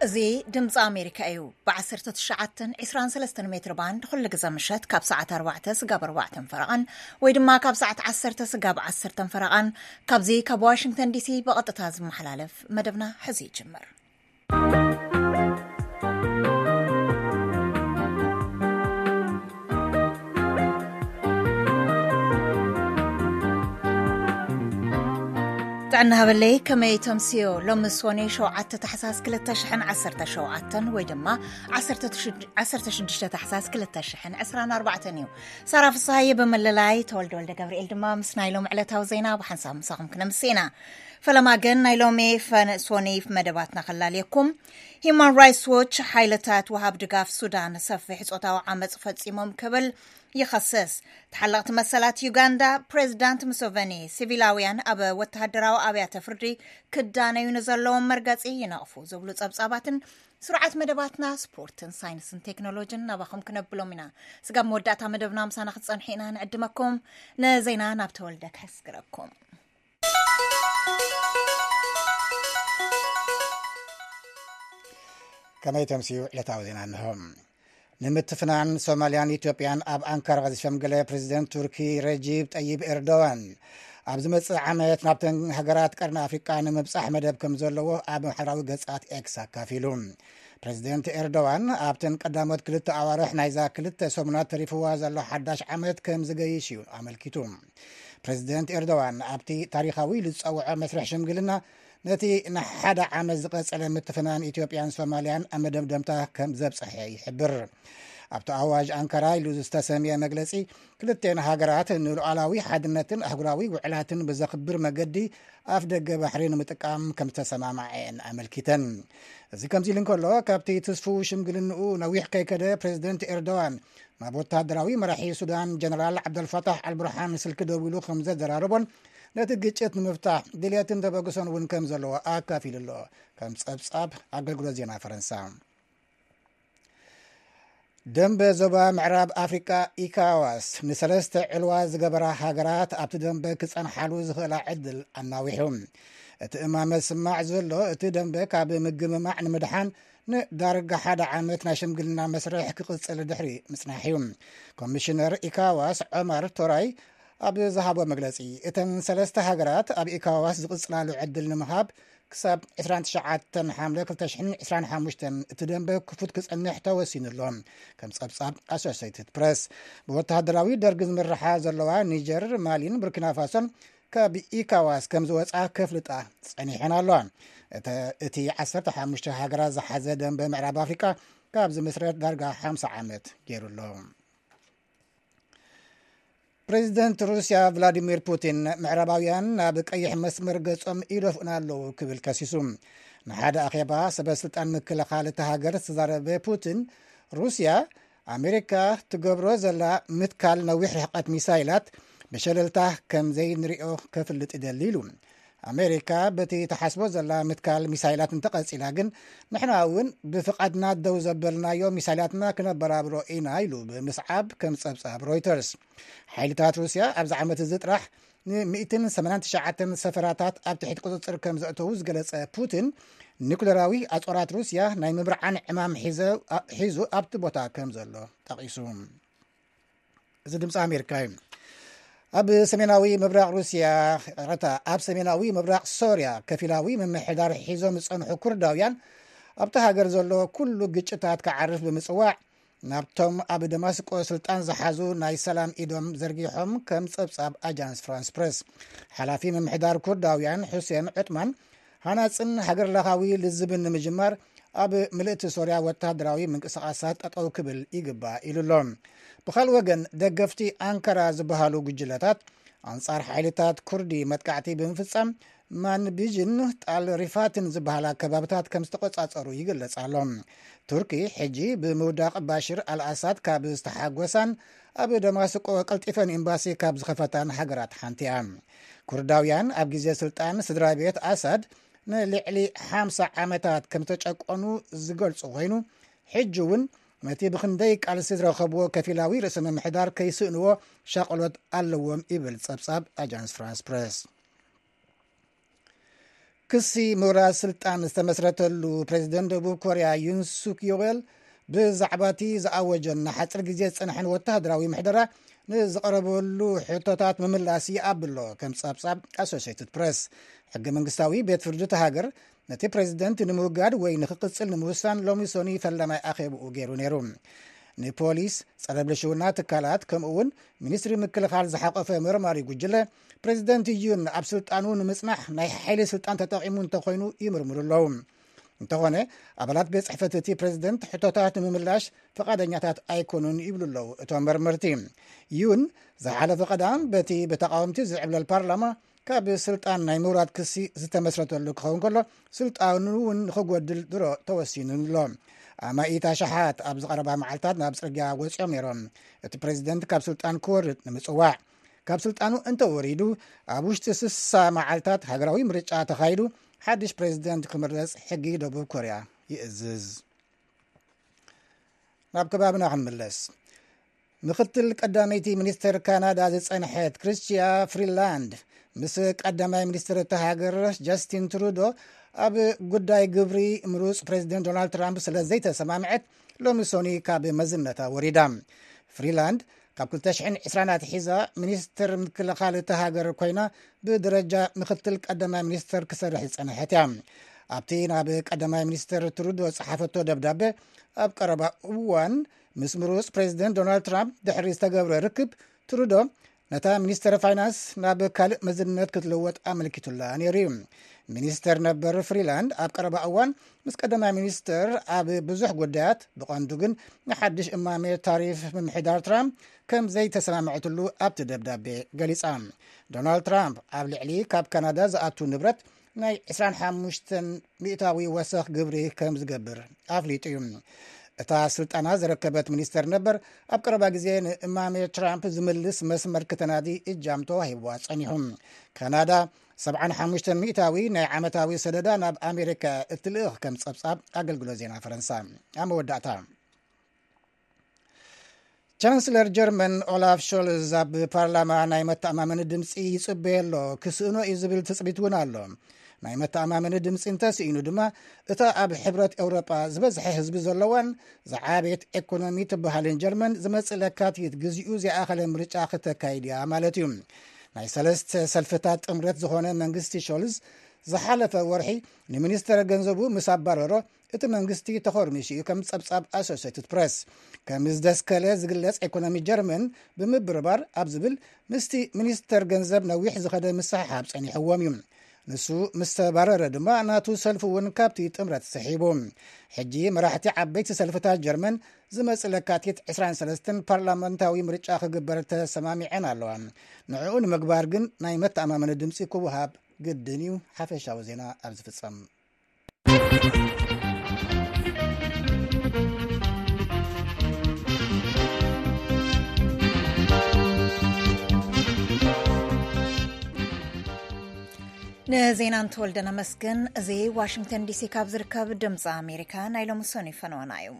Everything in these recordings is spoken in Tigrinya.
እዚ ድምፂ ኣሜሪካ እዩ። ብ19 23 ሜትር ባንድ ኩሉ ግዜ ምሸት ካብ ሰዓት ኣርባዕተ ስጋብ ኣርባዕተን ፈረቓን ወይ ድማ ካብ ሰዓት ዓሰርተ ስጋብ ዓሰርተን ፈረቓን ካብዚ ካብ ዋሽንግተን ዲሲ ብቐጥታ ዝመሓላለፍ መደብና ሕዚ ይጅምር። ጥዕና ሃበለይ፣ ከመይ ተምስዮ? ሎሚ ሶኔ ሸውዓተ ታሕሳስ ክልተ ሽሕን ዓሰርተ ሸውዓተን ወይ ድማ ዓሰርተ ሽዱሽተ ታሕሳስ ክልተ ሽሕን ዕስራን ኣርባዕተን እዩ። ሳራ ፍስሃየ ብምልላይ፣ ተወልደ ወልደ ገብርኤል ድማ ምስ ናይ ሎሚ ዕለታዊ ዜና ብሓንሳብ ምሳኹም ክነምስና። ፈለማ ግን ናይ ሎሚ ፈነ-፣ ሶኔ መደባትና ከላልየኩም። ሂማን ራይትስ ዎች፣ ሓይልታት ወሃብ ድጋፍ ሱዳን ሰፊሕ ጾታዊ ዓመጽ ፈጺሞም ክብል ይኸስስ። ተሓለቕቲ መሰላት ዩጋንዳ፣ ፕሬዚዳንት ሙሴቨኒ ሲቪላውያን ኣብ ወተሃደራዊ ኣብያተ ፍርዲ ክዳነዩ ንዘለዎም መርገጺ ይነቕፉ ዝብሉ ጸብጻባትን ስሩዓት መደባትና ስፖርትን ሳይንስን ቴክኖሎጂን ናባኹም ክነብሎም ኢና። ስጋብ መወዳእታ መደብና ምሳና ክትጸንሑ ኢና ንዕድመኩም። ንዜና ናብ ተወልደ ከስግረኩም። ከመይ ተምስዩ ዕለታዊ ዜና እንሆ። ንምትፍናን ሶማልያን ኢትዮጵያን ኣብ ኣንካራ ዝሸምገለ ፕሬዚደንት ቱርኪ ረጂብ ጠይብ ኤርዶዋን፣ ኣብ ዝመጽእ ዓመት ናብተን ሃገራት ቀርኒ ኣፍሪቃ ንምብጻሕ መደብ ከም ዘለዎ ኣብ ማሕበራዊ ገጻት ኤክስ ኣካፊሉ። ፕሬዚደንት ኤርዶዋን ኣብተን ቀዳሞት ክልተ ኣዋርሕ ናይዛ ክልተ ሰሙናት ተሪፍዋ ዘሎ ሓዳሽ ዓመት ከም ዝገይሽ እዩ ኣመልኪቱ። ፕሬዚደንት ኤርዶዋን ኣብቲ ታሪኻዊ ኢሉ ዝጸውዖ መስርሕ ሽምግልና፣ ነቲ ንሓደ ዓመት ዝቐጸለ ምትፍናን ኢትዮጵያን ሶማልያን ኣብ መደምደምታ ከም ዘብጽሐ ይሕብር። ኣብቲ ኣዋጅ ኣንካራ ኢሉ ዝተሰምየ መግለጺ፣ ክልቴን ሃገራት ንሉዓላዊ ሓድነትን ኣህጉራዊ ውዕላትን ብዘኽብር መገዲ ኣፍ ደገ ባሕሪ ንምጥቃም ከም ዝተሰማማዐ ኣመልኪተን። እዚ ከምዚ ኢሉ እንከሎ፣ ካብቲ ትስፉው ሽምግልንኡ ነዊሕ ከይከደ ፕሬዚደንት ኤርዶዋን ናብ ወተሃደራዊ መራሒ ሱዳን ጀነራል ዓብደልፋታሕ ኣልቡርሃን ስልኪ ደዊሉ ከም ዘዘራረቦን ነቲ ግጭት ንምፍታሕ ድልየትን ተበግሶን እውን ከም ዘለዎ ኣካፊሉ ኣሎ። ከም ጸብጻብ ኣገልግሎት ዜና ፈረንሳ። ደንበ ዞባ ምዕራብ ኣፍሪቃ ኢካዋስ ንሰለስተ ዕልዋ ዝገበራ ሃገራት ኣብቲ ደንበ ክጸንሓሉ ዝኽእላ ዕድል ኣናዊሑ። እቲ እማመ ዝስማዕ ዘሎ፣ እቲ ደንበ ካብ ምግምማዕ ንምድሓን ንዳርጋ ሓደ ዓመት ናይ ሽምግልና መስርሕ ክቕጽል ድሕሪ ምጽናሕ እዩ። ኮሚሽነር ኢካዋስ ዖማር ቶራይ ኣብ ዝሃቦ መግለጺ፣ እተን ሰለስተ ሃገራት ኣብ ኢካዋስ ዝቕጽላሉ ዕድል ንምሃብ ክሳብ ዕስራን ትሽዓተን ሓምለ ክልተ ሽሕን ዕስራን ሓሙሽተን እቲ ደንበ ክፉት ክጸንሕ ተወሲኑ ኣሎ። ከም ጸብጻብ ኣሶሴይትድ ፕረስ፣ ብወተሃደራዊ ደርጊ ዝምርሓ ዘለዋ ኒጀር፣ ማሊን ቡርኪና ፋሶን ካብ ኢካዋስ ከም ዝወጻ ከፍልጣ ጸኒሐን ኣለዋ። እተ-፣ እቲ ዓሰርተ ሓሙሽተ ሃገራት ዝሓዘ ደንበ ምዕራብ ኣፍሪቃ ካብ ዝምስረት ዳርጋ ሓምሳ ዓመት ገይሩ ኣሎ። ፕሬዚደንት ሩስያ ቭላዲሚር ፑቲን፣ ምዕራባውያን ናብ ቀይሕ መስመር ገጾም ይደፍኡና ኣለዉ ክብል ከሲሱ። ንሓደ ኣኼባ ሰበ ስልጣን ምክልኻል እታ ሃገር ዝተዛረበ ፑቲን፣ ሩስያ ኣሜሪካ ትገብሮ ዘላ ምትካል ነዊሕ ርሕቀት ሚሳይላት ብሸለልታ ከም ዘይንሪኦ ከፍልጥ ይደሊ ኢሉ። ኣሜሪካ በቲ ተሓስቦ ዘላ ምትካል ሚሳይላት እንተቐጺላ ግን፣ ንሕና እውን ብፍቓድና ደው ዘበልናዮ ሚሳይላትና ክነበራብሮ ኢና ኢሉ ብምስዓብ ከም ጸብጻብ ሮይተርስ። ሓይልታት ሩስያ ኣብዚ ዓመት እዚ ጥራሕ ን189 ሰፈራታት ኣብ ትሕቲ ቁጽጽር ከም ዘእተዉ ዝገለጸ ፑቲን፣ ኒኩለራዊ ኣጽዋራት ሩስያ ናይ ምብርዓን ዕማም ሒዘ-፣ ሒዙ ኣብቲ ቦታ ከም ዘሎ ጠቒሱ። እዚ ድምፂ ኣሜሪካ እዩ። ኣብ ሰሜናዊ ምብራቕ ሩስያ፣ ይቕረታ፣ ኣብ ሰሜናዊ ምብራቕ ሶርያ ከፊላዊ ምምሕዳር ሒዞም ዝጸንሑ ኩርዳውያን ኣብቲ ሃገር ዘሎ ኩሉ ግጭታት ክዓርፍ ብምጽዋዕ፣ ናብቶም ኣብ ደማስቆ ስልጣን ዝሓዙ ናይ ሰላም ኢዶም ዘርጊሖም፣ ከም ጸብጻብ ኣጃንስ ፍራንስ ፕረስ። ሓላፊ ምምሕዳር ኩርዳውያን ሑሴን ዑጥማን፣ ሃናጽን ሃገር ለኻዊ ልዝብን ንምጅማር ኣብ ምልእቲ ሶርያ ወተሃደራዊ ምንቅስቓሳት ጠጠው ክብል ይግባእ ኢሉ ኣሎ። ብኻልእ ወገን፣ ደገፍቲ ኣንካራ ዝበሃሉ ጉጅለታት ኣንጻር ሓይልታት ኩርዲ መጥቃዕቲ ብምፍጻም፣ ማንቢጅን ጣል ሪፋትን ዝበሃላ ከባብታት ከም ዝተቆጻጸሩ ይግለጽ ኣሎ። ቱርኪ ሕጂ ብምውዳቕ ባሽር ኣልኣሳድ ካብ ዝተሓጎሳን ኣብ ደማስቆ ቀልጢፈን ኤምባሲ ካብ ዝኸፈታን ሃገራት ሓንቲ እያ። ኩርዳውያን ኣብ ግዜ ስልጣን ስድራ ቤት ኣሳድ ንልዕሊ ሓምሳ ዓመታት ከም ዝተጨቆኑ ዝገልጹ ኮይኑ፣ ሕጂ እውን ነቲ ብኽንደይ ቃልሲ ዝረኸብዎ ከፊላዊ ርእሰ ምምሕዳር ከይስእንዎ ሻቕሎት ኣለዎም ይብል ጸብጻብ ኣጃንስ ፍራንስ ፕረስ። ክሲ ምውራድ ስልጣን ዝተመስረተሉ ፕሬዚደንት ደቡብ ኮርያ ዩን ሱክ ዮል፣ ብዛዕባ እቲ ዝኣወጀን ንሓፂር ግዜ ዝፀንሐን ወታደራዊ ምሕደራ ንዝቐረበሉ ሕቶታት ምምላስ ይኣብሎ፣ ከም ጸብጻብ ኣሶሽየትድ ፕረስ። ሕገ መንግስታዊ ቤት ፍርዲ እቲ ሃገር ነቲ ፕሬዚደንት ንምውጋድ ወይ ንክቕጽል ንምውሳን ሎሚ ሰኑይ ፈላማይ ኣኼብኡ ገይሩ ነይሩ። ንፖሊስ፣ ጸረ ብልሽውና ትካላት፣ ከምኡ እውን ሚኒስትሪ ምክልኻል ዝሓቆፈ መርማሪ ጉጅለ፣ ፕሬዚደንት ዩን ኣብ ስልጣኑ ንምጽናሕ ናይ ሓይሊ ስልጣን ተጠቒሙ እንተኾይኑ ይምርምሩ ኣለዉ። እንተኾነ፣ ኣባላት ቤት ጽሕፈት እቲ ፕሬዚደንት ሕቶታት ንምምላሽ ፈቓደኛታት ኣይኮኑን ይብሉ ኣለዉ እቶም መርመርቲ። ዩን ዝሓለፈ ቀዳም በቲ ብተቃወምቲ ዝዕብለል ፓርላማ ካብ ስልጣን ናይ ምውራድ ክሲ ዝተመስረተሉ ክኸውን ከሎ፣ ስልጣኑ እውን ንኽጎድል ድሮ ተወሲኑ ኣሎ። ኣማኢት ኣሽሓት ኣብ ዝቐረባ መዓልታት ናብ ጽርግያ ወጺኦም ነይሮም፣ እቲ ፕሬዚደንት ካብ ስልጣን ክወርድ ንምጽዋዕ። ካብ ስልጣኑ እንተወሪዱ፣ ኣብ ውሽጢ ስሳ መዓልታት ሃገራዊ ምርጫ ተኻይዱ ሓድሽ ፕሬዚደንት ክምረጽ ሕጊ ደቡብ ኮርያ ይእዝዝ። ናብ ከባብና ክንምለስ። ምክትል ቀዳመይቲ ሚኒስተር ካናዳ ዝጸንሐት ክርስቲያ ፍሪላንድ፣ ምስ ቀዳማይ ሚኒስትር እታ ሃገር ጀስቲን ትሩዶ ኣብ ጉዳይ ግብሪ ምሩጽ ፕሬዚደንት ዶናልድ ትራምፕ ስለ ዘይተሰማምዐት፣ ሎሚ ሶኒ ካብ መዝነታ ወሪዳ። ፍሪላንድ ካብ ክልተ ሽሕን ዕስራን ኣትሒዛ ሚኒስትር ምክልኻል እታ ሃገር ኮይና፣ ብደረጃ ምክትል ቀዳማይ ሚኒስትር ክሰርሕ ዝጸንሐት እያ። ኣብቲ ናብ ቀዳማይ ሚኒስትር ትሩዶ ዝጸሓፈቶ ደብዳበ፣ ኣብ ቀረባ እዋን ምስ ምሩጽ ፕሬዚደንት ዶናልድ ትራምፕ ድሕሪ ዝተገብረ ርክብ፣ ትሩዶ ነታ ሚኒስተር ፋይናንስ ናብ ካልእ መዝነት ክትልወጥ ኣመልኪቱላ ነይሩ እዩ። ሚኒስተር ነበር ፍሪላንድ ኣብ ቀረባ እዋን ምስ ቀዳማይ ሚኒስተር ኣብ ብዙሕ ጉዳያት፣ ብቐንዱ ግን ንሓድሽ እማሜ ታሪፍ ምምሕዳር ትራምፕ ከም ዘይተሰማምዐትሉ ኣብቲ ደብዳቤ ገሊጻ። ዶናልድ ትራምፕ ኣብ ልዕሊ ካብ ካናዳ ዝኣቱ ንብረት ናይ ዕስራን ሓሙሽተን ሚእታዊ ወሰኽ ግብሪ ከም ዝገብር ኣፍሊጡ እዩ። እታ ስልጣና ዝረከበት ሚኒስተር ነበር፣ ኣብ ቀረባ ግዜ ንእማሜ ትራምፕ ዝምልስ መስመር ክተናዲ እጃም ተዋሂብዋ ጸኒሑ። ካናዳ ሰብዓን ሓሙሽተን ሚእታዊ ናይ ዓመታዊ ሰደዳ ናብ ኣሜሪካ እትልእኽ፣ ከም ጸብጻብ ኣገልግሎት ዜና ፈረንሳ። ኣብ መወዳእታ፣ ቻንስለር ጀርመን ኦላፍ ሾልዝ ኣብ ፓርላማ ናይ መተኣማመኒ ድምፂ ይፅበየ ኣሎ። ክስእኖ እዩ ዝብል ትፅቢት እውን ኣሎ። ናይ መተኣማመኒ ድምፂ እንተስኢኑ ድማ፣ እታ ኣብ ሕብረት ኤውሮጳ ዝበዝሐ ህዝቢ ዘለዋን ዝዓበየት ኤኮኖሚ ትበሃልን ጀርመን፣ ዝመፅእ ለካቲት ግዚኡ ዘይኣኸለ ምርጫ ክተካይድ እያ ማለት እዩ። ናይ ሰለስተ ሰልፍታት ጥምረት ዝኾነ መንግስቲ ሾልዝ ዝሓለፈ ወርሒ ንሚኒስተር ገንዘቡ ምስ ኣባረሮ፣ እቲ መንግስቲ ተኾርሚሱ እዩ፣ ከም ጸብጻብ ኣሶሴትድ ፕረስ። ከም ዝደስከለ ዝግለጽ፣ ኤኮኖሚ ጀርመን ብምብርባር ኣብ ዝብል ምስቲ ሚኒስተር ገንዘብ ነዊሕ ዝኸደ ምስሕሓብ ጸኒሕዎም እዩ። ንሱ ምስ ተባረረ ድማ፣ ናቱ ሰልፊ እውን ካብቲ ጥምረት ስሒቡ። ሕጂ መራሕቲ ዓበይቲ ሰልፍታት ጀርመን ዝመጽእ ለካቲት ዕስራን ሰለስተን ፓርላመንታዊ ምርጫ ክግበር ተሰማሚዐን ኣለዋ። ንዕኡ ንምግባር ግን ናይ መተኣማመኒ ድምጺ ክወሃብ ግድን እዩ። ሓፈሻዊ ዜና ኣብ ዝፍጸም። ንዜና እንተወልደ ነመስግን። እዚ ዋሽንግተን ዲሲ ካብ ዝርከብ ድምፂ ኣሜሪካ ናይ ሎሚ ሰኑይ ፈነወና እዩ።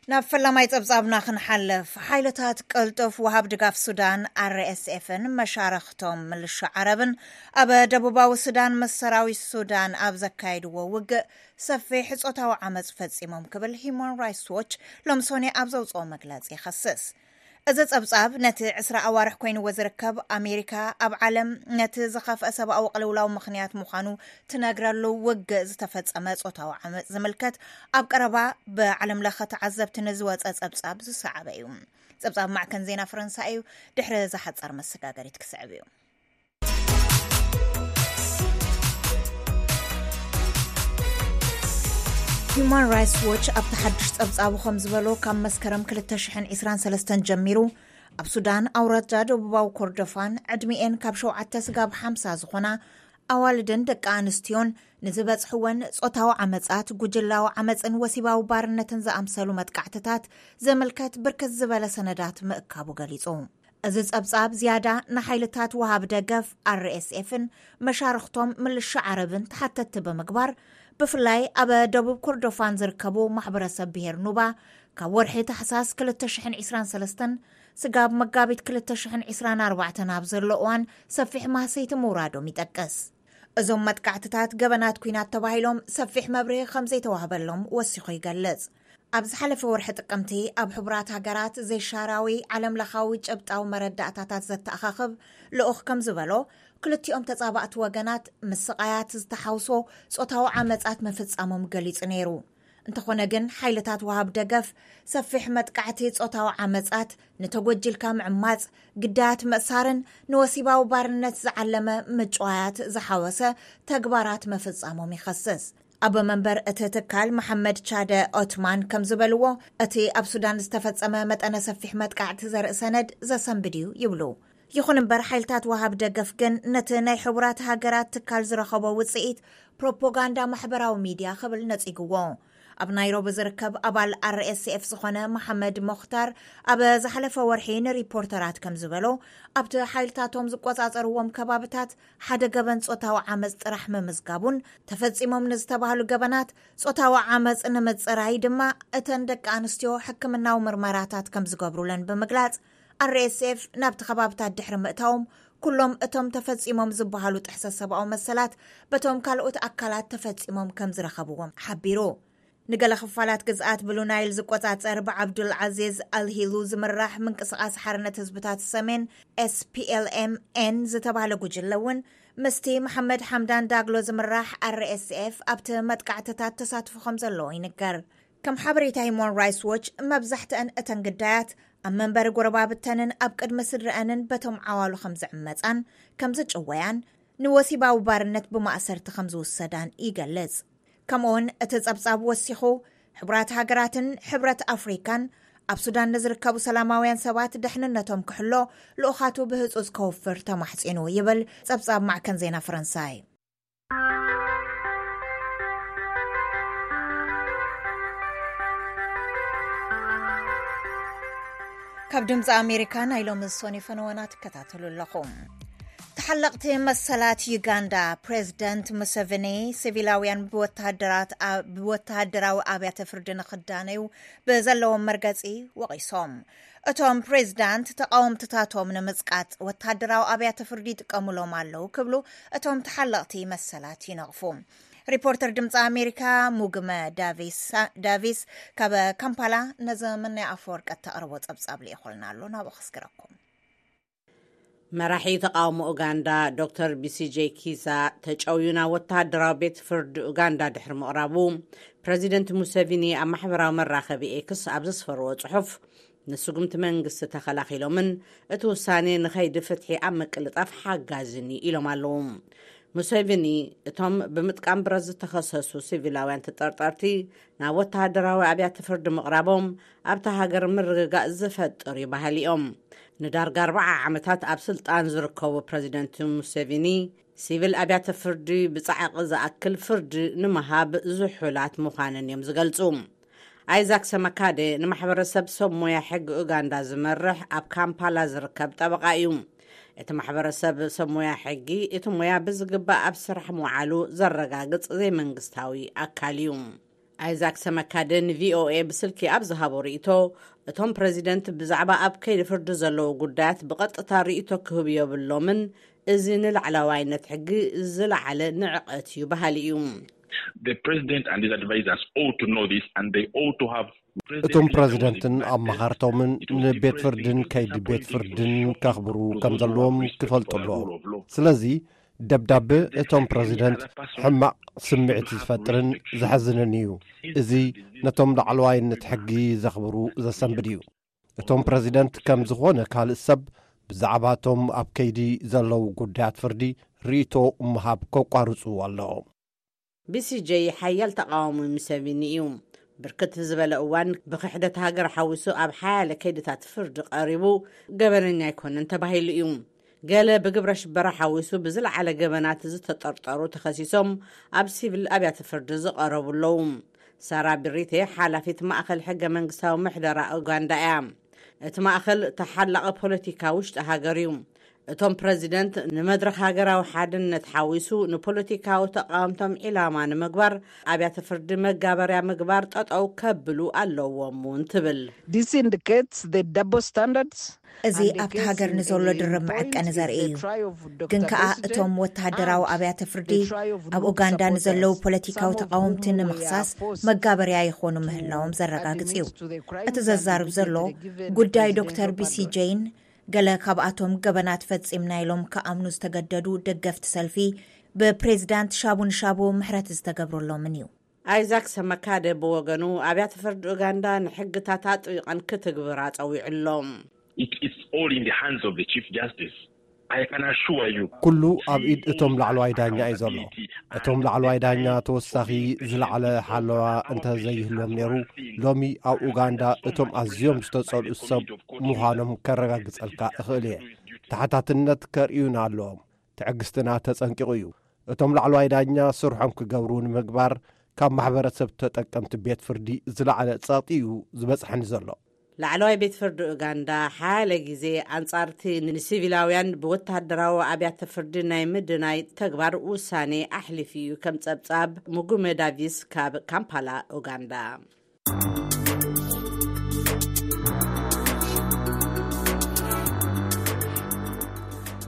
ናብ ፈላማይ ጸብጻብና ክንሓልፍ፣ ሓይልታት ቅልጡፍ ወሃብ ድጋፍ ሱዳን፣ ኣር ኤስ ኤፍን መሻርኽቶም ምልሻ ዓረብን ኣብ ደቡባዊ ሱዳን ምስ ሰራዊት ሱዳን ኣብ ዘካየድዎ ውግእ ሰፊሕ ጾታዊ ዓመጽ ፈጺሞም ክብል ሂዩማን ራይትስ ዎች ሎምሶኒ ኣብ ዘውጽኦ መግለጺ ይኸስስ። እዚ ጸብጻብ ነቲ ዕስራ ኣዋርሕ ኮይንዎ ዝርከብ ኣሜሪካ ኣብ ዓለም ነቲ ዝኸፍአ ሰብኣዊ ቅልውላው ምኽንያት ምዃኑ ትነግረሉ ውግእ ዝተፈጸመ ጾታዊ ዓመጽ ዝምልከት ኣብ ቀረባ ብዓለም ለኸ ተዓዘብቲ ንዝወጸ ጸብጻብ ዝሰዓበ እዩ። ጸብጻብ ማዕከን ዜና ፈረንሳ እዩ። ድሕሪ ዝሓጸር መሰጋገሪት ክስዕብ እዩ። ሂዩማን ራይትስ ዎች ኣብቲ ሓድሽ ጸብጻቡ ከም ዝበሎ፣ ካብ መስከረም ክልተ ሽሕን ዕስራን ሰለስተን ጀሚሩ ኣብ ሱዳን ኣውራጃ ደቡባዊ ኮርዶፋን ዕድሚኤን ካብ ሸውዓተ ስጋብ ሓምሳ ዝኾና ኣዋልድን ደቂ ኣንስትዮን ንዝበጽሕወን ጾታዊ ዓመጻት፣ ጉጅላዊ ዓመጽን ወሲባዊ ባርነትን ዝኣምሰሉ መጥቃዕትታት ዘመልከት ብርክት ዝበለ ሰነዳት ምእካቡ ገሊጹ። እዚ ጸብጻብ ዝያዳ ንሓይልታት ወሃብ ደገፍ ኣር ኤስ ኤፍን መሻርኽቶም ምልሻ ዓረብን ተሓተትቲ ብምግባር፣ ብፍላይ ኣብ ደቡብ ኮርዶፋን ዝርከቡ ማሕበረሰብ ብሄር ኑባ ካብ ወርሒ ታሕሳስ ክልተ ሽሕን ዕስራን ሰለስተን ስጋብ መጋቢት ክልተ ሽሕን ዕስራን ኣርባዕተን ኣብ ዘሎ እዋን ሰፊሕ ማህሰይቲ ምውራዶም ይጠቅስ። እዞም መጥቃዕትታት ገበናት ኲናት ተባሂሎም ሰፊሕ መብርሂ ከም ዘይተዋህበሎም ወሲኹ ይገልጽ። ኣብ ዝሓለፈ ወርሒ ጥቅምቲ ኣብ ሕቡራት ሃገራት ዘይሻራዊ ዓለም ለኻዊ ጨብጣዊ መረዳእታታት ዘተኣኻኽብ ልኡኽ ከም ዝበሎ፣ ክልቲኦም ተጻባእቲ ወገናት ምስቓያት ዝተሓውሶ ጾታዊ ዓመጻት ምፍጻሞም ገሊጹ ነይሩ። እንተኾነ ግን ሓይልታት ወሃብ ደገፍ ሰፊሕ መጥቃዕቲ ጾታዊ ዓመጻት፣ ንተጎጂልካ ምዕማጽ፣ ግዳያት ምእሳርን ንወሲባዊ ባርነት ዝዓለመ ምጭዋያት ዝሓወሰ ተግባራት ምፍጻሞም ይኸስስ። ኣቦ መንበር እቲ ትካል መሓመድ ቻደ ኦትማን ከም ዝበልዎ፣ እቲ ኣብ ሱዳን ዝተፈጸመ መጠነ ሰፊሕ መጥቃዕቲ ዘርኢ ሰነድ ዘሰንብድ እዩ ይብሉ። ይኹን እምበር ሓይልታት ወሃብ ደገፍ ግን ነቲ ናይ ሕቡራት ሃገራት ትካል ዝረኸቦ ውጽኢት ፕሮፓጋንዳ ማሕበራዊ ሚድያ ክብል ነጺግዎ። ኣብ ናይሮቢ ዝርከብ ኣባል ኣር ኤስ ኤፍ ዝኾነ መሓመድ ሞኽታር ኣብ ዝሓለፈ ወርሒ ንሪፖርተራት ከም ዝበሎ፣ ኣብቲ ሓይልታቶም ዝቆጻጸርዎም ከባብታት ሓደ ገበን ጾታዊ ዓመጽ ጥራሕ ምምዝጋቡን፣ ተፈጺሞም ንዝተባህሉ ገበናት ጾታዊ ዓመጽ ንምጽራይ ድማ እተን ደቂ ኣንስትዮ ሕክምናዊ ምርመራታት ከም ዝገብሩለን ብምግላጽ፣ ኣር ኤስ ኤፍ ናብቲ ከባብታት ድሕሪ ምእታዎም፣ ኩሎም እቶም ተፈጺሞም ዝበሃሉ ጥሕሰት ሰብኣዊ መሰላት በቶም ካልኦት ኣካላት ተፈጺሞም ከም ዝረኸብዎም ሓቢሩ። ንገለ ክፋላት ግዝኣት ብሉ ናይል ዝቆጻጸር ብዓብዱል ዓዚዝ ኣልሂሉ ዝምራሕ ምንቅስቓስ ሓርነት ህዝብታት ሰሜን፣ ኤስ ፒ ኤል ኤም ኤን፣ ዝተባህለ ጉጅለ እውን ምስቲ መሓመድ ሓምዳን ዳግሎ ዝምራሕ ኣር ኤስ ኤፍ ኣብቲ መጥቃዕትታት ተሳትፎ ከም ዘለዎ ይንገር። ከም ሓበሬታ ሂዩማን ራይትስ ዎች፣ መብዛሕትአን እተን ግዳያት ኣብ መንበሪ ጎረባብተንን ኣብ ቅድሚ ስድረአንን በቶም ዓዋሉ ከም ዝዕመጻን ከም ዝጭወያን፣ ንወሲባዊ ባርነት ብማእሰርቲ ከም ዝውሰዳን ይገልጽ። ከምኡውን እቲ ጸብጻብ ወሲኹ፣ ሕቡራት ሃገራትን ሕብረት ኣፍሪካን ኣብ ሱዳን ንዝርከቡ ሰላማውያን ሰባት ደሕንነቶም ክሕሎ ልኡኻቱ ብህጹጽ ከውፍር ተማሕጺኑ ይብል ጸብጻብ ማዕከን ዜና ፈረንሳይ። ካብ ድምፂ ኣሜሪካ ናይ ሎሚ ዝሶኒ ፈነወና ትከታተሉ ኣለኹም። ተሓለቕቲ መሰላት ዩጋንዳ፣ ፕሬዚደንት ሙሰቪኒ ሲቪላውያን ብወተሃደራት ኣ-፣ ብወተሃደራዊ ኣብያተ ፍርዲ ንኽዳነዩ ብዘለዎም መርገፂ ወቒሶም። እቶም ፕሬዚዳንት ተቓወምትታቶም ንምጽቃጥ ወተሃደራዊ ኣብያተ ፍርዲ ይጥቀሙሎም ኣለዉ ክብሉ እቶም ተሓለቕቲ መሰላት ይነቕፉ። ሪፖርተር ድምፂ ኣሜሪካ ሙግመ ዳቪስ፣ ዳቪስ ካብ ካምፓላ ነዚ መናይ ኣፈወርቂ እተቕርቦ ጸብጻብ ልኢኹልና ኣሎ፣ ናብኡ ከስግረኩም። መራሒ ተቓውሞ ኡጋንዳ ዶክተር ቢሲጄ ኪዛ ተጨውዩ ናብ ወተሃደራዊ ቤት ፍርዲ ኡጋንዳ ድሕሪ ምቕራቡ፣ ፕረዚደንት ሙሴቪኒ ኣብ ማሕበራዊ መራኸቢ ኤክስ ኣብ ዘስፈርዎ ጽሑፍ፣ ንስጉምቲ መንግስቲ ተኸላኺሎምን እቲ ውሳኔ ንኸይዲ ፍትሒ ኣብ ምቅልጣፍ ሓጋዝን እዩ ኢሎም ኣለዉ። ሙሴቪኒ፣ እቶም ብምጥቃም ብረት ዝተኸሰሱ ሲቪላውያን ተጠርጠርቲ ናብ ወተሃደራዊ ኣብያተ ፍርዲ ምቕራቦም ኣብታ ሃገር ምርግጋእ ዝፈጥር እዩ በሃሊ እዮም። ንዳርጋ ኣርባዓ ዓመታት ኣብ ስልጣን ዝርከቡ ፕረዚደንት ሙሴቪኒ፣ ሲቪል ኣብያተ ፍርዲ ብጻዕቒ ዝኣክል ፍርዲ ንምሃብ ዝሑላት ምዃነን እዮም ዝገልጹ። ኣይዛክ ሰመካደ ንማሕበረሰብ ሰብ ሞያ ሕጊ ኡጋንዳ ዝመርሕ ኣብ ካምፓላ ዝርከብ ጠበቓ እዩ። እቲ ማሕበረሰብ ሰብ ሞያ ሕጊ እቲ ሞያ ብዝግባእ ኣብ ስራሕ ምውዓሉ ዘረጋግጽ ዘይመንግስታዊ ኣካል እዩ። ኣይዛክ ሰመካደ ንቪኦኤ ብስልኪ ኣብ ዝሃቦ ርእይቶ፣ እቶም ፕረዚደንት ብዛዕባ ኣብ ከይዲ ፍርዲ ዘለዉ ጉዳያት ብቐጥታ ርእይቶ ክህቡ የብሎምን፣ እዚ ንላዕላዋይነት ሕጊ ዝለዓለ ንዕቐት እዩ በሃሊ እዩ። The president and his advisors ought to know this and they ought to have እቶም ፕረዚደንትን ኣመኻርቶምን ንቤት ፍርድን ከይዲ ቤት ፍርድን ከኽብሩ ከም ዘለዎም ክፈልጡ ኣለዎም። ስለዚ ደብዳበ እቶም ፕረዚደንት ሕማቕ ስምዒት ዝፈጥርን ዘሕዝንን እዩ። እዚ ነቶም ላዕለዋይነት ሕጊ ዘኽብሩ ዘሰንብድ እዩ። እቶም ፕረዚደንት ከም ዝኾነ ካልእ ሰብ ብዛዕባቶም ኣብ ከይዲ ዘለዉ ጉዳያት ፍርዲ ርእይቶ ምሃብ ከቋርጹ ኣለዎም። ቢሲጄ ሓያል ተቓዋሚ ሙሰቪኒ እዩ። ብርክት ዝበለ እዋን ብክሕደት ሃገር ሓዊሱ ኣብ ሓያለ ከይድታት ፍርዲ ቀሪቡ፣ ገበነኛ ኣይኮነን ተባሂሉ እዩ። ገለ ብግብረ ሽበራ ሓዊሱ ብዝለዓለ ገበናት ዝተጠርጠሩ ተኸሲሶም ኣብ ሲቪል ኣብያተ ፍርዲ ዝቐረቡ ኣለዉ። ሳራ ብሪቴ ሓላፊት ማእኸል ሕገ መንግስታዊ ምሕደራ ኡጋንዳ እያ። እቲ ማእኸል ተሓላቒ ፖለቲካ ውሽጢ ሃገር እዩ። እቶም ፕረዚደንት ንመድረኽ ሃገራዊ ሓድነት ሓዊሱ ንፖለቲካዊ ተቓወምቶም ዒላማ ንምግባር ኣብያተ ፍርዲ መጋበርያ ምግባር ጠጠው ከብሉ ኣለዎም እውን ትብል። This indicates the double standards. እዚ ኣብቲ ሃገር ንዘሎ ድርብ መዐቀኒ ዘርኢ እዩ። ግን ከኣ እቶም ወተሃደራዊ ኣብያተ ፍርዲ ኣብ ኡጋንዳ ንዘለዉ ፖለቲካዊ ተቓወምቲ ንምኽሳስ መጋበርያ ይኾኑ ምህላዎም ዘረጋግጽ እዩ። እቲ ዘዛርብ ዘሎ ጉዳይ ዶክተር ቢሲ ጀይን፣ ገለ ካብኣቶም ገበናት ፈጺምና ኢሎም ክኣምኑ ዝተገደዱ ደገፍቲ ሰልፊ፣ ብፕሬዚዳንት ሻቡ ንሻቡ ምሕረት ዝተገብረሎምን እዩ። ኣይዛክ ሰመካደ ብወገኑ፣ ኣብያተ ፍርዲ ኡጋንዳ ንሕግታት ኣጥቢቐን ክትግብራ ጸዊዑሎም። It is all in the hands of the Chief Justice. I can assure you. ኩሉ ኣብ ኢድ እቶም ላዕለዋይ ዳኛ እዩ ዘሎ። እቶም ላዕለዋይ ዳኛ ተወሳኺ ዝለዓለ ሓለዋ እንተዘይህልዎም ነይሩ፣ ሎሚ ኣብ ኡጋንዳ እቶም ኣዝዮም ዝተጸልኡ ሰብ ምዃኖም ከረጋግጸልካ እኽእል እየ። ተሓታትነት ከርእዩና ኣለዎም። ትዕግስትና ተጸንቂቑ እዩ። እቶም ላዕለዋይ ዳኛ ስርሖም ክገብሩ ንምግባር ካብ ማሕበረሰብ ተጠቀምቲ ቤት ፍርዲ ዝለዓለ ጸቕጢ እዩ ዝበጽሐኒ ዘሎ። ላዕለዋይ ቤት ፍርዲ ኡጋንዳ ሓያለ ግዜ ኣንጻርቲ ንሲቪላውያን ብወተሃደራዊ ኣብያተ ፍርዲ ናይ ምድናይ ተግባር ውሳኔ ኣሕሊፉ እዩ፣ ከም ጸብጻብ ሙጉመ ዳቪስ ካብ ካምፓላ ኡጋንዳ።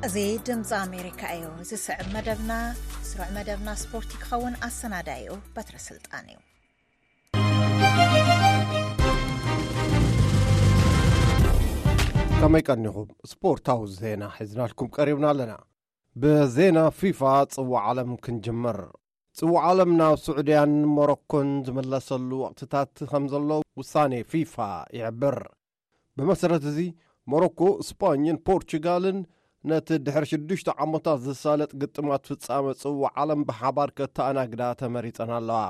እዚ ድምፂ ኣሜሪካ እዩ። ዝስዕብ መደብና ስሩዕ መደብና ስፖርቲ ክኸውን ኣሰናዳይኡ በትረ ስልጣን እዩ። ከመይ ቀኒኹም? ስፖርታዊ ዜና ሒዝናልኩም ቀሪብና ኣለና። ብዜና ፊፋ ጽዋዕ ዓለም ክንጅምር። ጽዋዕ ዓለም ናብ ስዑድያን ሞሮኮን ዝምለሰሉ ወቕትታት ከም ዘሎ ውሳኔ ፊፋ ይሕብር። ብመሰረት እዚ፣ ሞሮኮ፣ ስፓኝን ፖርቹጋልን ነቲ ድሕሪ ሽዱሽተ ዓመታት ዝሳለጥ ግጥማት ፍጻመ ጽዋዕ ዓለም ብሓባር ከተኣናግዳ ተመሪጸን ኣለዋ።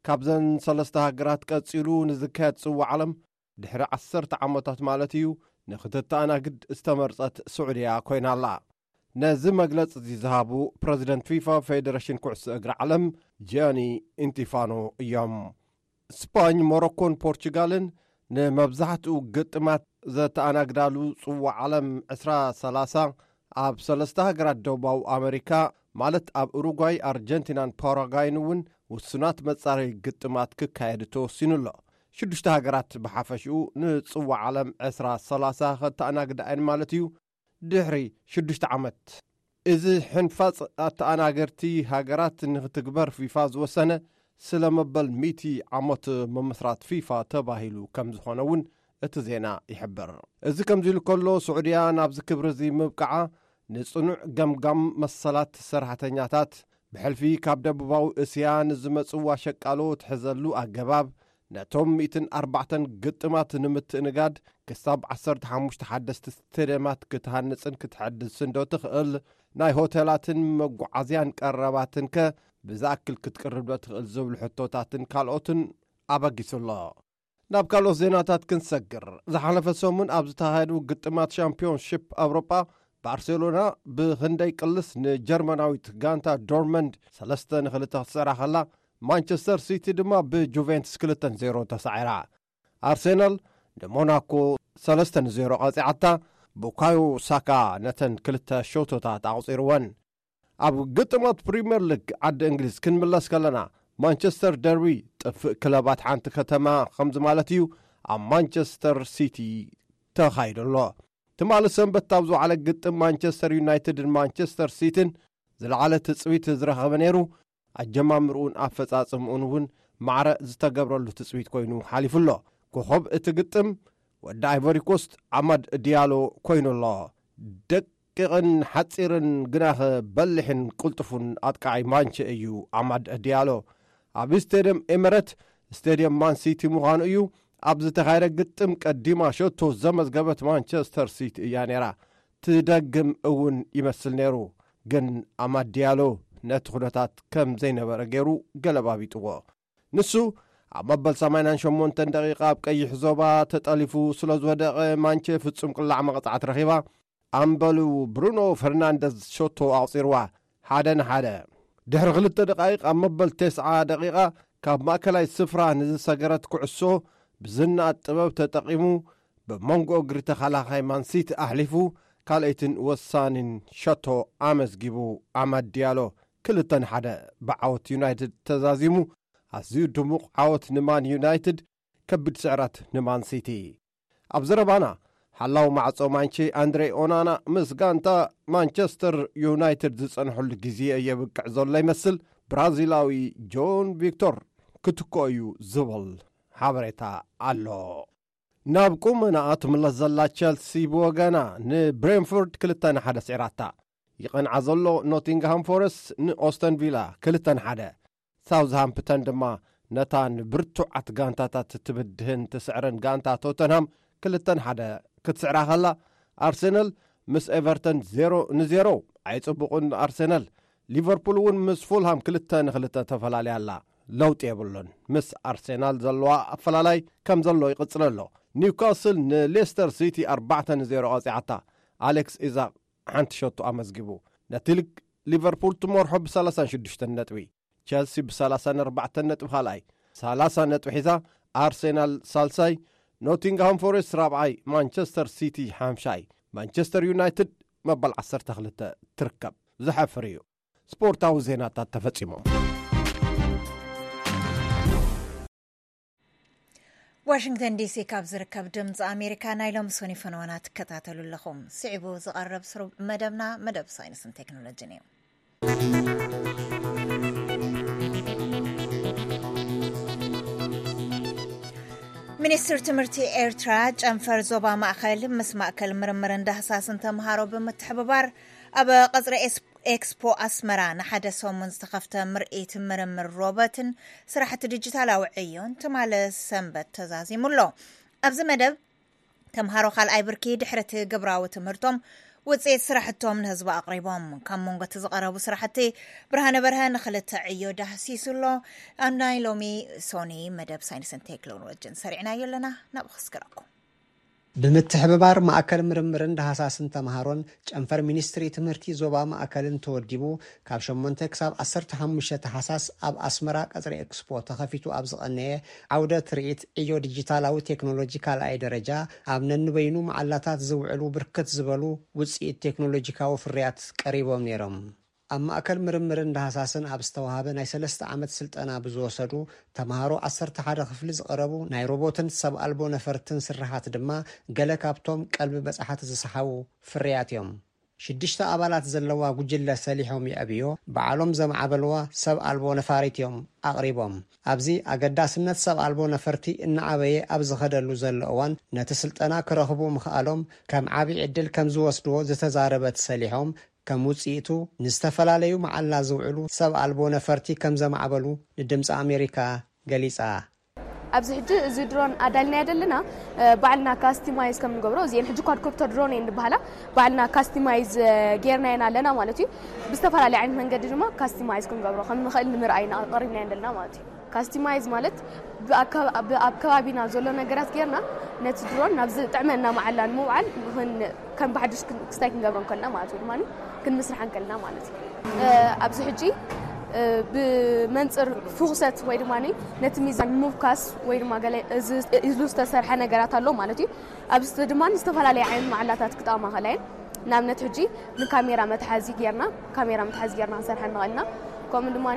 ካብዘን ሰለስተ ሃገራት ቀጺሉ ንዝካየድ ጽዋዕ ዓለም ድሕሪ ዓሰርተ ዓመታት ማለት እዩ፣ ንክትተኣናግድ ዝተመርጸት ስዑድያ ኮይና ኣላ። ነዚ መግለጺ እዚ ዝሃቡ ፕረዚደንት ፊፋ ፌደሬሽን ኩዕሶ እግሪ ዓለም ጂያኒ ኢንቲፋኖ እዮም። ስፓኝ፣ ሞሮኮን ፖርቹጋልን ንመብዛሕትኡ ግጥማት ዘተኣናግዳሉ ጽዋዕ ዓለም ዕስራ ሰላሳ ኣብ ሰለስተ ሃገራት ደቡባዊ ኣመሪካ፣ ማለት ኣብ ኡሩጓይ፣ ኣርጀንቲናን ፓራጓይን እውን ውሱናት መጻረዪ ግጥማት ክካየድ ተወሲኑ ኣሎ። ሽዱሽተ ሃገራት ብሓፈሽኡ ንጽዋዕ ዓለም ዕስራ ሰላሳ ከተኣናግዳ እየን ማለት እዩ፣ ድሕሪ ሽዱሽተ ዓመት። እዚ ሕንፋጽ ኣተኣናገርቲ ሃገራት ንክትግበር ፊፋ ዝወሰነ፣ ስለ መበል ሚእቲ ዓመት ምምስራት ፊፋ ተባሂሉ ከም ዝኾነ እውን እቲ ዜና ይሕብር። እዚ ከምዚ ኢሉ ከሎ፣ ስዑድያ ናብዚ ክብሪ እዚ ምብቃዓ ንጽኑዕ ገምጋም መሰላት ሰራሕተኛታት፣ ብሕልፊ ካብ ደቡባዊ እስያ ንዝመጽዋ ሸቃሎ ትሕዘሉ ኣገባብ፣ ነቶም ሚእትን ኣርባዕተን ግጥማት ንምትእንጋድ፣ ክሳብ ዓሰርተ ሓሙሽተ ሓደስቲ ስቴድየማት ክትሃንጽን ክትሕድስን ዶ ትኽእል? ናይ ሆቴላትን መጓዓዝያን ቀረባትንከ ብዝኣክል ክትቅርብ ዶ ትኽእል? ዝብሉ ሕቶታትን ካልኦትን ኣበጊሱ ኣሎ። ናብ ካልኦት ዜናታት ክንሰግር፣ ዝሓለፈ ሰሙን ኣብ ዝተኻየዱ ግጥማት ሻምፒዮንሺፕ ኣውሮጳ፣ ባርሴሎና ብክንደይ ቅልስ ንጀርመናዊት ጋንታ ዶርመንድ ሰለስተ ንኽልተ ክትስዕራ ከላ፣ ማንቸስተር ሲቲ ድማ ብጁቬንትስ ክልተ ንዜሮ ተሳዒራ። ኣርሴናል ንሞናኮ ሰለስተ ንዜሮ ቀጺዓታ፣ ቡካዮ ሳካ ነተን ክልተ ሸቶታት ኣቑጺርወን። ኣብ ግጥማት ፕሪምየር ሊግ ዓዲ እንግሊዝ ክንምለስ ከለና፣ ማንቸስተር ደርቢ ጥፍእ ክለባት ሓንቲ ከተማ ከምዚ ማለት እዩ ኣብ ማንቸስተር ሲቲ ተኻይዱ ኣሎ። ትማሊ ሰንበት ኣብ ዝወዓለ ግጥም ማንቸስተር ዩናይትድን ማንቸስተር ሲቲን ዝለዓለ ትጽቢት ዝረኸበ ነይሩ። ኣጀማምርኡን ኣፈጻጽምኡን እውን ማዕረ ዝተገብረሉ ትጽቢት ኮይኑ ሓሊፉ ኣሎ። ኮኸብ እቲ ግጥም ወዲ ኣይቮሪ ኮስት ኣማድ ዲያሎ ኮይኑ ኣሎ። ደቂቕን ሓጺርን ግናኸ በሊሕን ቅልጡፉን ኣጥቃዓይ ማንቸ እዩ ኣማድ ዲያሎ። ኣብ ስቴድየም ኤመረት፣ ስቴድየም ማን ሲቲ ምዃኑ እዩ። ኣብ ዝተኻየደ ግጥም ቀዲማ ሸቶ ዘመዝገበት ማንቸስተር ሲቲ እያ ነይራ። ትደግም እውን ይመስል ነይሩ። ግን ኣማድ ዲያሎ ነቲ ኩነታት ከም ዘይነበረ ገይሩ ገለባቢጥዎ። ንሱ ኣብ መበል ሰማንያን ሸሞንተን ደቂቓ ኣብ ቀይሕ ዞባ ተጠሊፉ ስለ ዝወደቐ፣ ማንቸ ፍጹም ቅላዕ መቕጻዕቲ ረኺባ። ኣምበሉ ብሩኖ ፈርናንደዝ ሸቶ ኣቑጺርዋ፣ ሓደ ንሓደ። ድሕሪ ክልተ ደቃይቕ ኣብ መበል ተስዓ ደቂቓ ካብ ማእከላይ ስፍራ ንዝሰገረት ኩዕሶ ብዝነኣድ ጥበብ ተጠቒሙ ብመንጎ እግሪ ተኸላኻይ ማንሲቲ ኣሕሊፉ ካልኣይትን ወሳኒን ሸቶ ኣመዝጊቡ። ኣማድ ዲያሎ ክልተ ንሓደ ብዓወት ዩናይትድ ተዛዚሙ። ኣዝዩ ድሙቕ ዓወት ንማን ዩናይትድ፣ ከቢድ ስዕረት ንማን ሲቲ። ኣብ ዘረባና፣ ሓላው ማዕጾ ማንቼ ኣንድሬ ኦናና ምስ ጋንታ ማንቸስተር ዩናይትድ ዝጸንሐሉ ግዜ የብቅዕ ዘሎ ይመስል፣ ብራዚላዊ ጆን ቪክቶር ክትክኦ እዩ ዝብል ሓበሬታ ኣሎ። ናብ ቁመናኣ ትምለስ ዘላ ቸልሲ ብወገና ንብሬንፎርድ ክልተ ንሓደ ስዒራታ። ይቐንዓ ዘሎ ኖቲንግሃም ፎረስት ንኦስተን ቪላ ክልተ ንሓደ፣ ሳውዝሃምፕተን ድማ ነታ ንብርቱዓት ጋንታታት ትብድህን ትስዕርን ጋንታ ቶተንሃም ክልተ ንሓደ ክትስዕራ ከላ፣ ኣርሰናል ምስ ኤቨርተን ዜሮ ንዜሮ ኣይጽቡቕን። ኣርሰናል፣ ሊቨርፑል እውን ምስ ፉልሃም ክልተ ንክልተ ተፈላለያ ኣላ። ለውጢ የብሉን። ምስ ኣርሰናል ዘለዋ ኣፈላላይ ከም ዘሎ ይቕጽል ኣሎ። ኒውካስል ንሌስተር ሲቲ ኣርባዕተ ንዜሮ ቀጺዓታ። ኣሌክስ ኢዛቅ ሓንቲ ሸቶ ኣመዝጊቡ። ነቲ ሊግ ሊቨርፑል ትመርሖ ብ ሰላሳን ሽዱሽተን ነጥቢ፣ ቸልሲ ብ ሰላሳን ኣርባዕተን ነጥቢ ካልኣይ፣ ሰላሳ ነጥቢ ሒዛ፣ ኣርሴናል ሳልሳይ፣ ኖቲንግሃም ፎሬስት ራብዓይ፣ ማንቸስተር ሲቲ ሓምሻይ፣ ማንቸስተር ዩናይትድ መበል ዓሰርተ ክልተ ትርከብ። ዘሕፍር እዩ። ስፖርታዊ ዜናታት ተፈጺሞም። ዋሽንግተን ዲሲ ካብ ዝርከብ ድምፂ ኣሜሪካ ናይ ሎሚ ሰኑይ ፈነወና ትከታተሉ ኣለኹም። ስዒቡ ዝቐርብ ስሩብ መደብና መደብ ሳይንስን ቴክኖሎጂን እዩ። ሚኒስትር ትምህርቲ ኤርትራ ጨንፈር ዞባ ማእኸል ምስ ማእከል ምርምርን ዳህሳስን ተምሃሮ ብምትሕብባር ኣብ ቀጽሪ ኤስ-፣ ኤክስፖ ኣስመራ ንሓደ ሰሙን ዝተኸፍተ ምርኢት ምርምር ሮቦትን ስራሕቲ ዲጂታላዊ ዕዮን ትማሊ ሰንበት ተዛዚሙ ኣሎ። ኣብዚ መደብ ተምሃሮ ካልኣይ ብርኪ ድሕሪ እቲ ግብራዊ ትምህርቶም ውፅኢት ስራሕቶም ንህዝቢ ኣቕሪቦም። ካብ መንጎ እቲ ዝቐረቡ ስራሕቲ ብርሃነ በርሀ ንክልተ ዕዮ ዳህሲሱ ኣሎ። ኣብ ናይ ሎሚ ሶኒ መደብ ሳይንስን ቴክኖሎጂን ሰሪዕናዮ ኣለና። ናብኡ ክስግረኩም። ብምትሕብባር ማእከል ምርምርን ዳህሳስን ተምሃሮን ጨንፈር ሚኒስትሪ ትምህርቲ ዞባ ማእከልን ተወዲቡ ካብ ሸሞንተ ክሳብ ዓሰርተ ሓሙሽተ ታሕሳስ ኣብ ኣስመራ ቀጽሪ ኤክስፖ ተኸፊቱ ኣብ ዝቐነየ ዓውደ ትርኢት ዕዮ ዲጂታላዊ ቴክኖሎጂ ካልኣይ ደረጃ ኣብ ነንበይኑ መዓላታት ዝውዕሉ ብርክት ዝበሉ ውጽኢት ቴክኖሎጂካዊ ፍርያት ቀሪቦም ነይሮም። ኣብ ማእከል ምርምርን ዳህሳስን ኣብ ዝተዋሃበ ናይ ሰለስተ ዓመት ስልጠና ብዝወሰዱ ተምሃሮ ዓሰርተ ሓደ ክፍሊ ዝቐረቡ ናይ ሮቦትን ሰብ ኣልቦ ነፈርትን ስርሓት ድማ ገለ ካብቶም ቀልቢ በጻሕቲ ዝሰሓቡ ፍርያት እዮም። ሽዱሽተ ኣባላት ዘለዋ ጉጅለ ሰሊሖም የዕብዮ፣ ባዕሎም ዘማዕበልዋ ሰብ ኣልቦ ነፋሪት እዮም ኣቕሪቦም። ኣብዚ ኣገዳስነት ሰብ ኣልቦ ነፈርቲ እናዓበየ ኣብ ዝኸደሉ ዘሎ እዋን ነቲ ስልጠና ክረኽቡ ምኽኣሎም ከም ዓቢ ዕድል ከም ዝወስድዎ ዝተዛረበት ሰሊሖም፣ ከም ውጽኢቱ ንዝተፈላለዩ መዓላ ዝውዕሉ ሰብ ኣልቦ ነፈርቲ ከም ዘማዕበሉ ንድምፂ ኣሜሪካ ገሊጻ። ኣብዚ ሕጂ እዚ ድሮን ኣዳልናዮ ዘለና፣ እ፣ ባዕልና ካስቲማይዝ ከም ንገብሮ፣ እዚኤን ሕጂ ኳድኮፕተር ድሮን እየን ዝበሃላ። ባዕልና ካስቲማይዝ፣ እ፣ ጌርናየን ኣለና ማለት እዩ። ብዝተፈላለየ ዓይነት መንገዲ ድማ ካስቲማይዝ ክንገብሮ ከም ንኽእል ንምርኣይ ኢና ቀሪብናየን ዘለና ማለት እዩ። ካስቲማይዝ ማለት ብኣካ-፣ ብ-፣ ኣብ ከባቢና ዘሎ ነገራት ጌርና ነቲ ድሮን ናብ ዝጥዕመና መዓላ ንምውዓል ንኽን-፣ ከም ብሓድሽ ክን-፣ ክስታይ ክንገብሮ እንከልና ማለት እዩ፣ ድማ ክንምስርሓ እንከልና ማለት እዩ። እ፣ ኣብዚ ሕጂ፣ እ፣ ብመንጽር ፍኹሰት ወይ ድማ ነቲ ሚዛን ምብካስ ወይ ድማ ገለ እዚ ኢሉ ዝተሰርሐ ነገራት ኣሎ ማለት እዩ። ኣብዚ ድማ ዝተፈላለየ ዓይነት መዓላታት ክጠቕማ ከላየን፣ ንኣብነት ሕጂ ንካሜራ መትሓዚ ጌርና፣ ካሜራ መትሓዚ ጌርና ክንሰርሐ ንኽእል ኢና። ከምኡ ድማ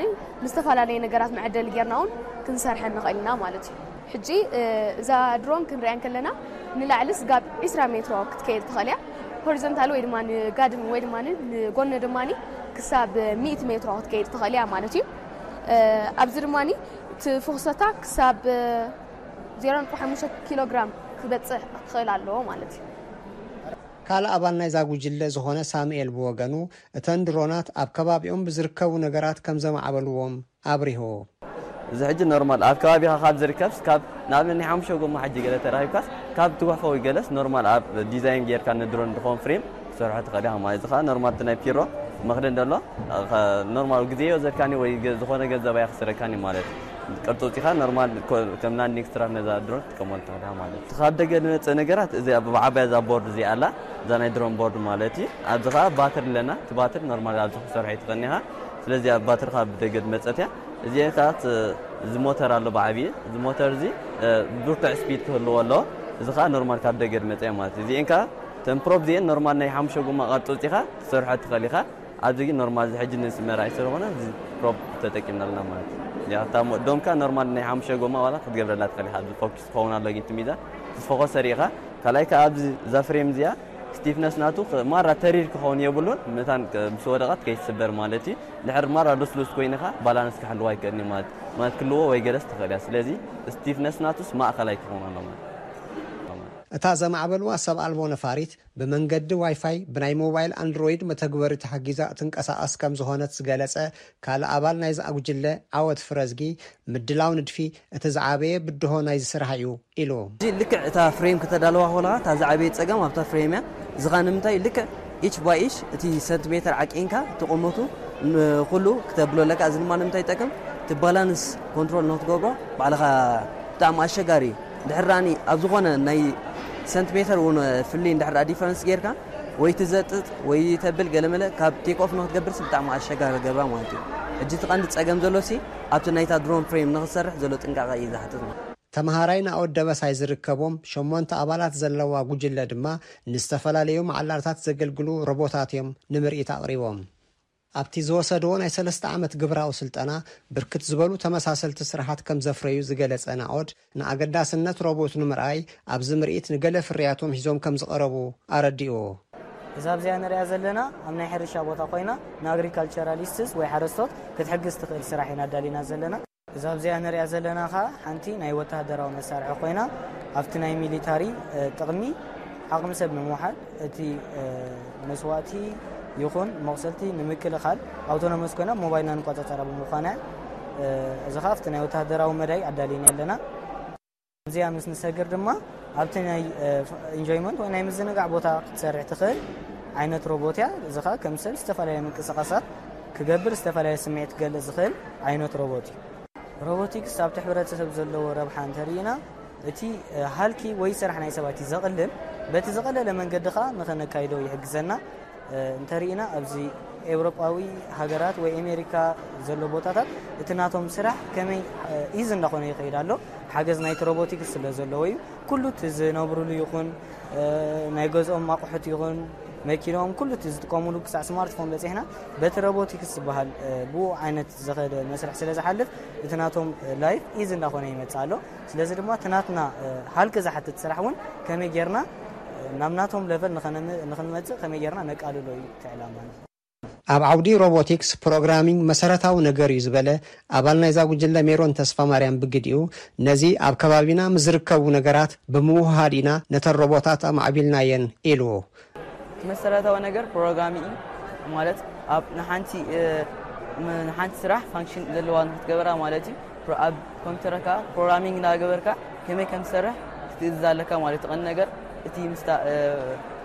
ንዝተፈላለየ ነገራት መዐደሊ ጌርና እውን ክንሰርሐ ንኽእል ኢና ማለት እዩ። ሕጂ፣ እ፣ እዛ ድሮን ክንሪኣ እንከለና ንላዕሊ ስጋብ ዒስራ ሜትሮ ክትከይድ ትኽእል እያ። ሆሪዞንታል ወይ ድማ ንጋድም ወይ ድማ ንጎኒ ድማ ክሳብ ሚእቲ ሜትሮ ክትከይድ ትኽእል እያ ማለት እዩ። እ፣ ኣብዚ ድማ እቲ ፍኹሰታ ክሳብ ዜሮ ነጥቢ ሓሙሽተ ኪሎ ግራም ክበጽሕ ክኽእል ኣለዎ ማለት እዩ። ካልእ ኣባል ናይዛ ጉጅለ ዝኾነ ሳሙኤል ብወገኑ፣ እተን ድሮናት ኣብ ከባቢኦም ብዝርከቡ ነገራት ከም ዘማዕበልዎም ኣብሪሁ። እዚ ሕጂ ኖርማል ኣብ ከባቢኻ ካብ ዝርከብስ፣ ካብ ንኣብነት ናይ ሓሙሽተ ጎማ ሕጂ ገለ ተረኺብካስ፣ ካብ ትጉሕፎ ወይ ገለስ ኖርማል ኣብ ዲዛይን ጌርካ ንድሮን ዝኸውን ፍሬም ክትሰርሖ ትኽእል ኢኻ ማለት። እዚ ኸኣ ኖርማል እቲ ናይ ፒሮ መኽደን ዘሎ፣ ኸ-፣ ኖርማል ግዜ ይወሰደካኒ ወይ ገ-፣ ዝኾነ ገንዘብ ኣይኽስረካኒ ማለት እዩ። ቅርጺ ኣውጺኻ ኖርማል ኮ-፣ ከም ላንዲንግ ስትራፕ ነዛ ድሮን ትጥቀመሉ ትኽእል ኢኻ ማለት እዩ። ካብ ደገ ዝመጽእ ነገራት እዚ ኣብ ብዓባያ እዛ ቦርድ እዚኣ ኣላ፣ እዛ ናይ ድሮን ቦርድ ማለት እዩ። ኣብዚ ኸኣ ባትሪ ኣለና። እቲ ባትሪ ኖርማል ኣብዚ ክሰርሖ ይትኽእል ኢኻ። ስለዚ ኣብ ባትሪ ካብ ደገ ዝመጸት እያ። እዚኤን ከኣ ት-፣ እዚ ሞተር ኣሎ ብዓብዪ። እዚ ሞተር እዚ፣ እ፣ ብርቱዕ ስፒድ ክህልዎ ኣለዎ። እዚ ኸኣ ኖርማል ካብ ደገ ዝመጸ እዩ ማለት እዩ። እዚኤን ከኣ እተን ፕሮፕ እዚአን ኖርማል ናይ ሓሙሽተ ጎማ ቅርፂ ኣውፂኻ ትሰርሖ ትኽእል ኢኻ። ኣብዚ ግን ኖርማል እዚ ሕጂ ንስመራ ኣይስርኾነ እዚ ፕሮፕ ተጠቂምና ኣለና ማለት እዩ። ያ እታ ሞ- ዶምካ ኖርማል ናይ ሓሙሽተ ጎማ ዋላ ክትገብረላ ትኽእል ኢኻ። ኣብዚ ፎክስ ክኸውን ኣሎ ግን እቲ ሚዛን እቲ ፎከስ ሰሪእኻ ካልኣይ ከዓ ኣብዚ እዛ ፍሬም እዚኣ ስቲፍነስ ናቱ ክ- ማራ ተሪር ክኸውን የብሉን። መታን ክ- ምስ ወደቐት ከይትስበር ማለት እዩ። ድሕር ማራ ሉስሉስ ኮይንኻ ባላንስ ክሕልዋ ኣይክእልን እዩ ማለት ማለት ክልዎ ወይ ገለስ ትኽእል እያ። ስለዚ ስቲፍነስ ናቱስ ማእኸላይ ክኸውን ኣሎ ማለት እዩ። እታ ዘማዕበልዋ ሰብ ኣልቦ ነፋሪት ብመንገዲ ዋይፋይ ብናይ ሞባይል ኣንድሮይድ መተግበሪ ተሓጊዛ ትንቀሳቐስ ከም ዝኾነት ዝገለጸ ካልእ ኣባል ናይዛ ጉጅለ ዓወት ፍረዝጊ፣ ምድላው ንድፊ እቲ ዝዓበየ ብድሆ ናይዚ ስራሕ እዩ ኢሉ። እዚ ልክዕ እታ ፍሬም ከተዳልዋ ከለኻ እታ ዝዓበየ ጸገም ኣብታ ፍሬም እያ። እዚ ኸኣ ንምንታይ ልክዕ ኢች ባይ ኢች እቲ ሰንቲሜተር ዓቂንካ እቲ ቁመቱ ንኹሉ ክተብሎ ኣለካ። እዚ ድማ ንምንታይ ይጠቅም? እቲ ባላንስ ኮንትሮል ንክትገብሮ ባዕልኻ ብጣዕሚ ኣሸጋሪ እዩ። ድሕር ዳኣኒ ኣብ ዝኾነ ናይ ሰንቲሜተር እውን ፍልይ እንድሕር ዳኣ ዲፈረንስ ጌርካ ወይ ትዘጥጥ ወይ ተብል ገለመለ ካብ ቴክ ኦፍ ንክትገብርስ ብጣዕሚ ኣሸጋሪ ገብራ ማለት እዩ። ሕጂ እቲ ቀንዲ ጸገም ዘሎ ሲ ኣብቲ ናይታ ድሮን ፍሬም ንክትሰርሕ ዘሎ ጥንቃቐ እዩ ዝሓትት። ተምሃራይ ናኦድ ደበሳይ ዝርከቦም ሸሞንተ ኣባላት ዘለዋ ጉጅለ ድማ ንዝተፈላለዩ መዓላርታት ዘገልግሉ ሮቦታት እዮም ንምርኢት ኣቕሪቦም። ኣብቲ ዝወሰድዎ ናይ ሰለስተ ዓመት ግብራዊ ስልጠና ብርክት ዝበሉ ተመሳሰልቲ ስራሓት ከም ዘፍረዩ ዝገለጸ ናኦድ ንኣገዳስነት ሮቦት ንምርኣይ ኣብዚ ምርኢት ንገለ ፍርያቶም ሒዞም ከም ዝቐረቡ ኣረዲኡ። እዛ ኣብዚኣ ንሪኣ ዘለና ኣብ ናይ ሕርሻ ቦታ ኮይና ንኣግሪካልቸራሊስትስ ወይ ሓረስቶት ክትሕግዝ ትኽእል ስራሕ ኢና ኣዳሊና ዘለና። እዛ ኣብዚኣ ንሪኣ ዘለና ኸዓ ሓንቲ ናይ ወታሃደራዊ መሳርሒ ኮይና ኣብቲ ናይ ሚሊታሪ ጥቕሚ ዓቕሚ ሰብ ንምውሓድ እቲ መስዋእቲ ይኹን መቑሰልቲ ንምክልኻል ኣውቶኖመስ ኮይና ሞባይልና ንቆፃፀራ ብምዃና እዚ ኸዓ ኣብቲ ናይ ወታሃደራዊ መዳይ ኣዳሊና ኣለና። እዚኣ ምስ ንሰግር ድማ ኣብቲ ናይ ኢንጆይመንት ወይ ናይ ምዝንጋዕ ቦታ ክትሰርሕ ትኽእል ዓይነት ሮቦት እያ። እዚ ኸዓ ከም ሰብ ዝተፈላለየ ምንቅስቓሳት ክገብር ዝተፈላለየ ስምዒት ክገልፅ ዝኽእል ዓይነት ሮቦት እዩ። ሮቦቲክስ ኣብቲ ሕብረተሰብ ዘለዎ ረብሓ እንተርኢና እቲ ሃልኪ ወይ ስራሕ ናይ ሰባት እዩ ዘቕልል። በቲ ዝቐለለ መንገዲ ኸዓ ንኸነካይዶ ይሕግዘና። እንተርኢና ኣብዚ ኤውሮጳዊ ሃገራት ወይ ኣሜሪካ ዘሎ ቦታታት እቲ ናቶም ስራሕ ከመይ ኢዝ እንዳኾነ ይኸይድ ኣሎ። ሓገዝ ናይቲ ሮቦቲክስ ስለ ዘለዎ እዩ። ኩሉ እቲ ዝነብሩሉ ይኹን ናይ ገዝኦም ኣቑሑት ይኹን መኪኖም ኩሉ እቲ ዝጥቀሙሉ ክሳዕ ስማርትፎን በፂሕና በቲ ሮቦቲክስ ዝበሃል ብኡ ዓይነት ዝኸደ መስርሕ ስለ ዝሓልፍ እቲ ናቶም ላይፍ ኢዝ እንዳኾነ ይመፅእ ኣሎ። ስለዚ ድማ እቲ ናትና ሃልኪ ዝሓትት ስራሕ እውን ከመይ ጌርና ናብ ናቶም ለቨል ንኽንመፅእ ከመይ ጌርና ነቃልሎ እዩ እቲ ዕላማ። ኣብ ዓውዲ ሮቦቲክስ ፕሮግራሚንግ መሰረታዊ ነገር እዩ ዝበለ ኣባል ናይዛ ጉጅለ ሜሮን ተስፋማርያም ብግዲኡ፣ ነዚ ኣብ ከባቢና ምስ ዝርከቡ ነገራት ብምውህሃድ ኢና ነተን ሮቦታት ኣማዕቢልናየን ኢሉ። እቲ መሰረታዊ ነገር ፕሮግራሚ እዩ ማለት ኣብ ንሓንቲ ንሓንቲ ስራሕ ፋንክሽን ዘለዋ ንክትገበራ ማለት እዩ። ኣብ ኮምፒውተርካ ፕሮግራሚንግ እንዳገበርካ ከመይ ከም ትሰርሕ ክትእዝዝ ኣለካ ማለት እዩ። ቀንዲ ነገር እቲ ምስታ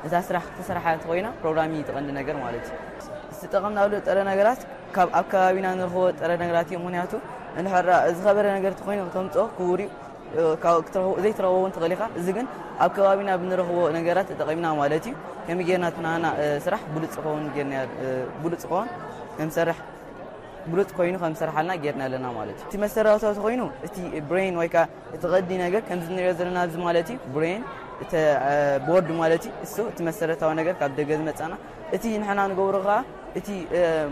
እዛ ስራሕ ክትሰርሓ እንተኮይና ፕሮግራሚንግ እዩ ቀንዲ ነገር ማለት እዩ። ዝጠቐምናሉ ጥረ ነገራት ካብ ኣብ ከባቢና ንረኽቦ ጥረ ነገራት እዩ። ምክንያቱ እንድሕር ዝኸበረ ነገር ተኮይኑ ከተምፅኦ ክቡር እዩ። ዘይትረኽቦ እውን ትኽእል ኢኻ። እዚ ግን ኣብ ከባቢና ብንረኽቦ ነገራት ተጠቒምና ማለት እዩ። ከመይ ጌርና እቲ ናና ስራሕ ብሉፅ ዝኸውን ጌርና ብሉፅ ዝኸውን ከምሰርሕ ብሉፅ ኮይኑ ከም ዝሰርሓልና ጌርና ኣለና ማለት እዩ። እቲ መሰረታዊ ኮይኑ እቲ ብሬን ወይ ከዓ እቲ ቀዲ ነገር ከምዚ ንሪኦ ዘለና ኣብዚ ማለት እዩ ብሬን እቲ ቦርድ ማለት እዩ። እሱ እቲ መሰረታዊ ነገር ካብ ደገ ዝመፃና እቲ ንሕና ንገብሮ ከዓ እቲ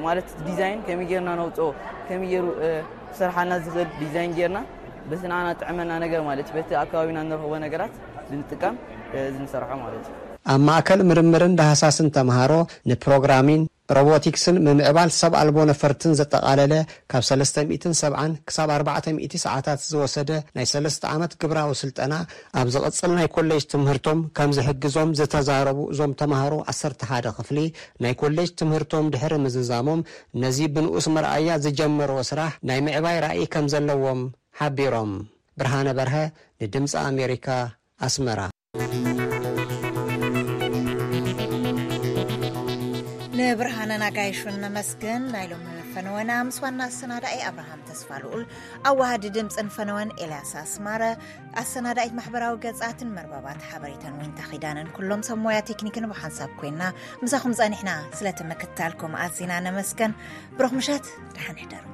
ማለት ዲዛይን ከመይ ጌርና ነውፅኦ ከመይ ገይሩ ክሰርሓልና ዝኽእል ዲዛይን ጌርና በቲ ንዓና ጥዕመና ነገር ማለት እዩ በቲ ኣብ ከባቢና ንረኽቦ ነገራት ብምጥቃም እዚ ንሰርሖ ማለት እዩ። ኣብ ማእከል ምርምርን ዳህሳስን ተምሃሮ ንፕሮግራሚን ሮቦቲክስን ምምዕባል ሰብ ኣልቦ ነፈርትን ዘጠቓለለ ካብ ሰለስተ ሚእትን ሰብዓን ክሳብ ኣርባዕተ ሚእቲ ሰዓታት ዝወሰደ ናይ ሰለስተ ዓመት ግብራዊ ስልጠና ኣብ ዝቕጽል ናይ ኮሌጅ ትምህርቶም ከም ዝሕግዞም ዝተዛረቡ እዞም ተምሃሮ ዓሰርተ ሓደ ክፍሊ ናይ ኮሌጅ ትምህርቶም ድሕሪ ምዝዛሞም ነዚ ብንኡስ መርኣያ ዝጀመርዎ ስራሕ ናይ ምዕባይ ራእይ ከም ዘለዎም ሓቢሮም። ብርሃነ በርሀ ንድምፂ ኣሜሪካ ኣስመራ። ንብርሃነ ናጋይሹን ነመስግን። ናይ ሎሚ ፈነወና ምስ ዋና ኣሰናዳኢ ኣብርሃም ተስፋ ልኡል፣ ኣዋሃዲ ድምፅን ፈነወን ኤልያስ ኣስማረ፣ ኣሰናዳኢት ማሕበራዊ ገፃትን መርበባት ሓበሬታን ዊንታ ኪዳነን ኩሎም ሰብ ሞያ ቴክኒክን ብሓንሳብ ኮይና ምሳኹም ፀኒሕና። ስለቲ ምክታልኩም ኣዚና ነመስገን። ብሩኽ ምሸት፣ ደሓን ሕደሩ።